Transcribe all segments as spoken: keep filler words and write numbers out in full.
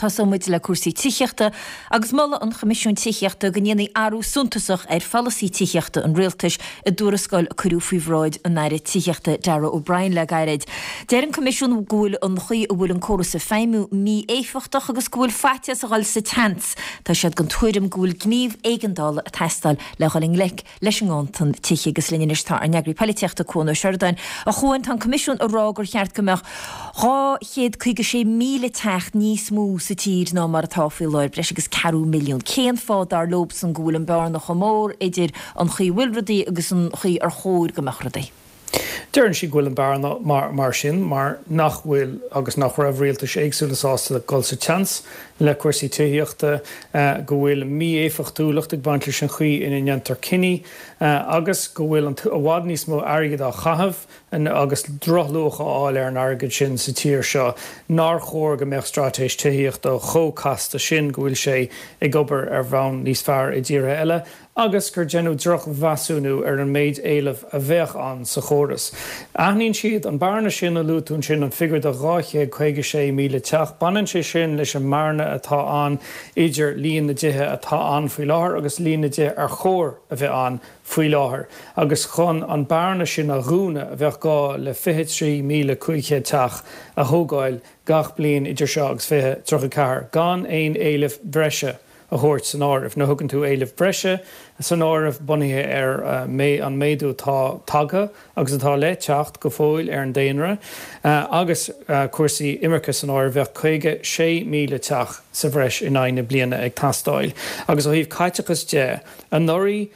Tosóidh muid le cúrsaí tithíochta agus moladh an Choimisiúin Tithíochta go ndéanfaí athrú suntasach ar pholasaí tithíochta an rialtais i dtuarascáil a cuireadh faoi bhráid an Aire Tithíochta Darragh O'Brien le gairid. Deir an Coimisiún go bhfuil an chaoi a bhfuil an córas ag feidhmiú mí-éifeachtach agus go bhfuil faitíos a dhul sa tseans. Tá siad den tuairim go bhfuil gníomh éigeandála ag teastáil le dhul i ngleic leis an nganntan tithe agus linn anois tá ár n-eagraí polaitíochta Cuan Ó Seireadáin. A Chuain tá an Coimisiún ag rá gur cheart go mbeadh dhá chéad caoga sé míle teach níos mó sa tír ná mar atá faoi láthair breis agus ceathrú milliún. Cén fáth dar leosan go bhfuil an bearna chomh mór idir an chaoi a bhfuil rudaí agus an chaoi ar chóir go mbeadh rudaí. Deireann sí go bhfuil an bearna mar, mar sin mar nach bhfuil agus nach raibh rialtais éagsúla sásta dul sa tseans le cúrsaí tithíochta go bhfuil mí-éifeachtúlacht ag baint leis an chaoi ina ndéantar cinní agus go bhfuil an i bhfad níos mó airgead á chaitheamh agus drochluach á fháil ar an airgead sin sa tír seo nár chóir go mbeadh straitéis tithíochta chomh casta sin go bhfuil sé ag obair ar bhonn níos fearr i dtíortha eile agus gur déanadh drochmheasúnú ar an méid éilimh a bheadh ann sa chóras. Aithníonn siad an bearna sin a luaigh tú ansin an figiúr de dhá chéad caoga sé míle teach, baineann sé sin leis an mbearna atá ann idir líon na dtithe atá ann faoi láthair agus líon na dtithe ar chóir a bheith ann faoi láthair, agus chun an bearna sin a dhúnadh a bheadh gá le fiche trí míle cúig chéad teach a thógáil gach bliain idir seo agus fiche tríocha ceathair, gan aon éileamh breise a thabhairt san áireamh. Nuair a thugann tú éileamh breise san áireamh bunaithe ar an méadú atá tagtha agus atá le teacht go fóill ar an daonra agus cúrsaí imirce san áireamh, bheadh caoga sé míle teach sa bhreis in aghaidh na bliana ag teastáil. Agus ó thaobh caiteachas de, anuraidh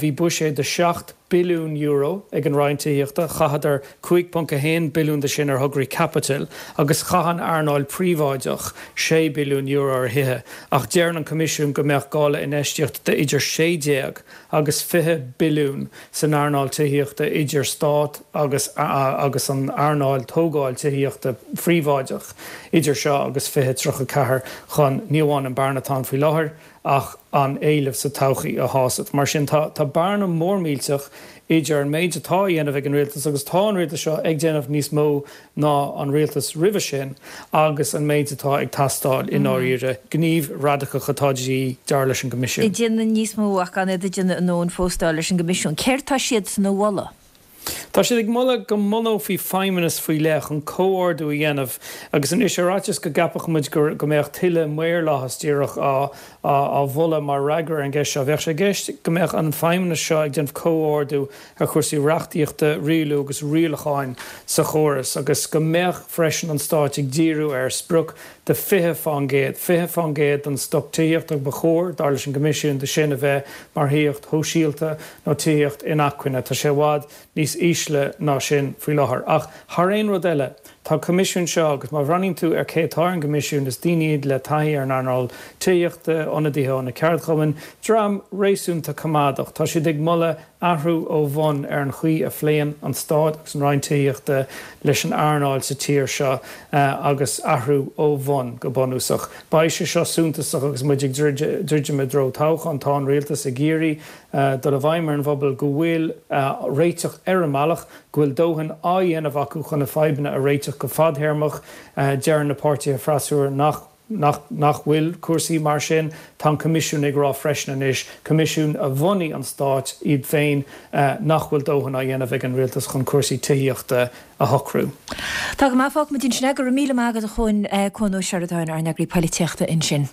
bhí buiséad de seacht billiún euro ag an Roinn Tithíochta, chaitheadar cúig ponc a haon billiún de sin ar thograí caipitil agus chaith an earnáil phríobháideach sé billiún euro ar thithe, ach deireann an Coimisiún go mbeadh gá le infheistíocht de idir sé déag agus fiche billiún san earnáil tithíochta idir stát agus agus an earnáil tógáil tithíochta phríobháideach idir seo agus fiche tríocha ceathair chun ní amháin an bearna atá ann faoi láthair ach an éileamh sa todhchaí a shásamh. Mar sin tá tá bearna mór millteach idir an méid atá á dhéanamh ag an rialtas agus tá an rialtas seo ag déanamh níos mó ná an rialtas roimhe sin agus an méid atá ag teastáil i ndáiríre, gníomh radacach atá de dhíth dar leis an gCoimisiún. Ag déanamh níos mó ach gan iad ag déanamh a ndóthain fós dar leis an gCoimisiún. Céard tá siadsan a mholadh? Tá siad ag moladh go mbunófaí feidhmeannas faoi leith chun comhordú a dhéanamh agus anois ar fhaitíos go gceapfadh muid go mbeadh tuilleadh maorlathas díreach á á mholadh mar fhreagra ar an gceist seo. Bheadh sé i gceist go mbeadh an feidhmeannas seo ag déanamh comhordú ar chúrsaí reachtaíochta, rialú agus rialacháin sa chóras agus go mbeadh freisin an Stát ag díriú ar sprioc de fiche fán gcéad, fiche fán gcéad den stoc tithíochta ba chóir, dar leis an gCoimisiún, de sin a bheith mar thithíocht shóisialta nó tithíocht inacmhainne. Tá sé i bhfad níos ísle ná sin faoi láthair. Ach thar aon rud eile, tá an Coimisiún seo, agus má bhreathnaíonn tú ar cé atá ar an gCoimisiún, is daoine iad le taithí ar an earnáil tithíochta, ionadaithe ó na ceardchumainn, dream réasúnta coimeádach. Tá siad ag moladh athrú ó bhun ar an chaoi a phléann an Stát agus an Roinn Tithíochta leis an earnáil sa tír seo agus athrú ó bhun go bunúsach. Beidh sé seo suntasach agus muid ag druidim i dtreo toghcháin. Tá an Rialtas ag iarraidh dul i bhfeidhm ar an bpobal go bhfuil réiteach ar an mbealach, go bhfuil dóthain á dhéanamh acu chun na fadhbanna a réiteach go fadtéarmach. Deireann na páirtithe freasúra nach. nach nach bhfuil cúrsaí mar sin. Tá an Coimisiún ag rá freisin anois, Coimisiún a bhunaigh an Stát iad féin, nach bhfuil dóthain á dhéanamh ag an Rialtas chun cúrsaí tithíochta a shocrú. Tá go maith, fágfaimid ansin é. Go raibh míle maith agat a Chuain, Cuan Ó Seireadáin, ár n-eagraí polaitíochta ansin.